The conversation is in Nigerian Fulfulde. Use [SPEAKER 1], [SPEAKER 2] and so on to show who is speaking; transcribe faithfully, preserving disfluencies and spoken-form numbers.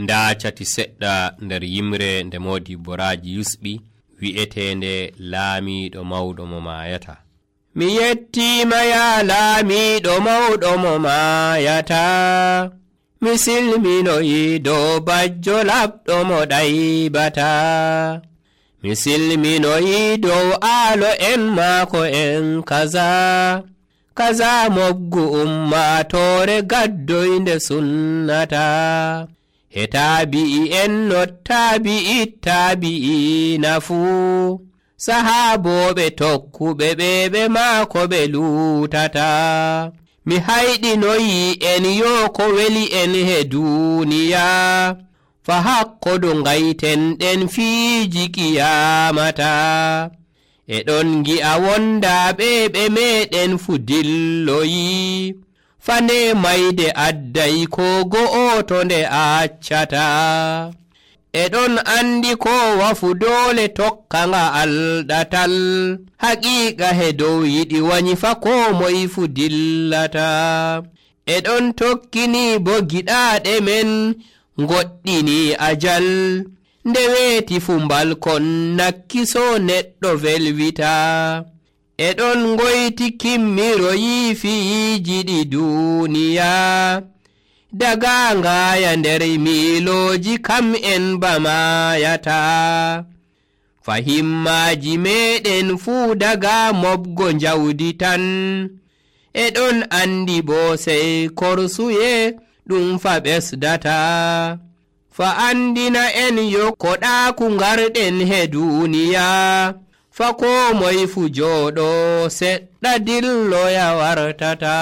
[SPEAKER 1] nda cati seɗɗa nder yimre nde Modibbo Raji yusɓi wi'etende laamiɗo mawɗo mo maayata. Mi yettima ya laamiɗo mawɗo mo maayata, mi silminoyi dow bajjo laɓɗo mo ɗaybata, mi silminoyi dow aalo en maako en kaza, kaza moggu ummatore gaddoynde sunnata, he taabi'i en no taabi'i taabi'i nafu, sahaaboɓe tokkuɓe ɓe ɓe maako ɓe luutata. Mi hayɗinoyi en yo ko weli en he duniya, fa hakkodo ngayten ɗen fiiji kiyamata, e ɗon gi'a wondaaɓe ɓe meɗen fu dilloyi, fane mayde adday ko go'oto nde accata, e ɗon andi ko wafu doole tokka nga alɗatal, haqiiqa he dow yiɗi wanyi fa ko moy fu dillata, e ɗon tokkini bo giɗaɗe men goɗɗini ajal, nde weeti fu mbalkon nakkiso neɗɗo velwita, e ɗon ngoyti kimmiroyi fiiji ɗi duniya, daga ngaya nder miiloji kam en bamayata, fahimmaji meɗen fuu daga mobgo jawdi tan, e ɗon andi bo sey korsuye ɗum fa ɓesdata, fa andina en yo koɗaku ngarɗen he duniya, fa ko moy fu jooɗo seɗɗa dilloya wartata.